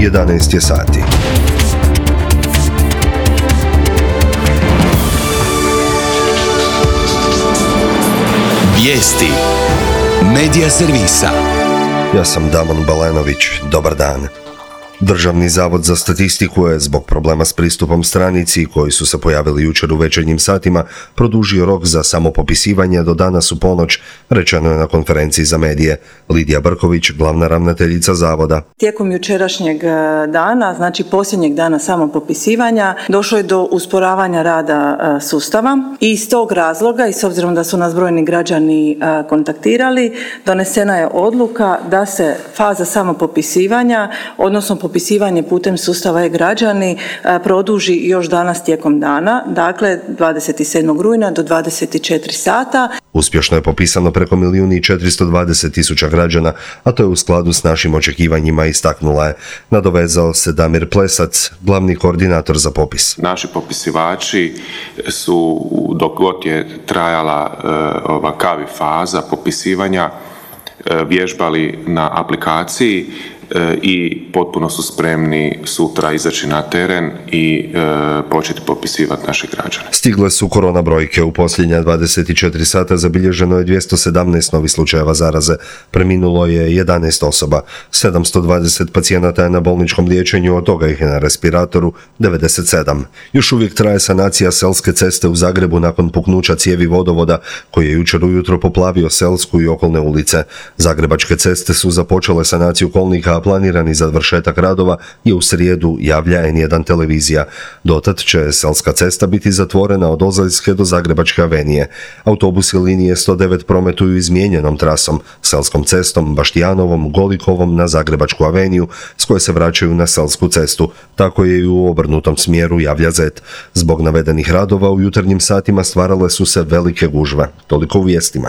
11 je sati. Vijesti Medija servisa. Ja sam Damon Balenović. Dobar dan. Državni zavod za statistiku je zbog problema s pristupom stranici koji su se pojavili jučer u večernjim satima produžio rok za samopopisivanje do danas u ponoć, rečeno je na konferenciji za medije. Lidija Brković, glavna ravnateljica zavoda. Tijekom jučerašnjeg dana, znači posljednjeg dana samopopisivanja, došlo je do usporavanja rada sustava i iz tog razloga i s obzirom da su nas brojni građani kontaktirali, donesena je odluka da se faza samopopisivanja, odnosno popisivanje putem sustava e-građani produži još danas tijekom dana, dakle 27. rujna do 24 sata. Uspješno je popisano preko 1.420.000 građana, a to je u skladu s našim očekivanjima, istaknula je. Nadovezao se Damir Plesac, glavni koordinator za popis. Naši popisivači su, dok god je trajala ova kavi faza popisivanja, vježbali na aplikaciji i potpuno su spremni sutra izaći na teren i početi popisivati naše građane. Stigle su korona brojke. U posljednja 24 sata zabilježeno je 217 novih slučajeva zaraze. Preminulo je 11 osoba. 720 pacijenata je na bolničkom liječenju, od toga ih je na respiratoru 97. Još uvijek traje sanacija Selske ceste u Zagrebu nakon puknuća cijevi vodovoda koji je jučer ujutro poplavio Selsku i okolne ulice. Zagrebačke ceste su započele sanaciju kolnika, a planirani završetak radova je u srijedu, javlja N1 televizija. Dotad će Selska cesta biti zatvorena od Ozaljske do Zagrebačke avenije. Autobusi linije 109 prometuju izmijenjenom trasom, Selskom cestom, Baštijanovom, Golikovom na Zagrebačku aveniju, s koje se vraćaju na Selsku cestu. Tako je i u obrnutom smjeru, javlja Zet. Zbog navedenih radova u jutarnjim satima stvarale su se velike gužve. Toliko u vijestima.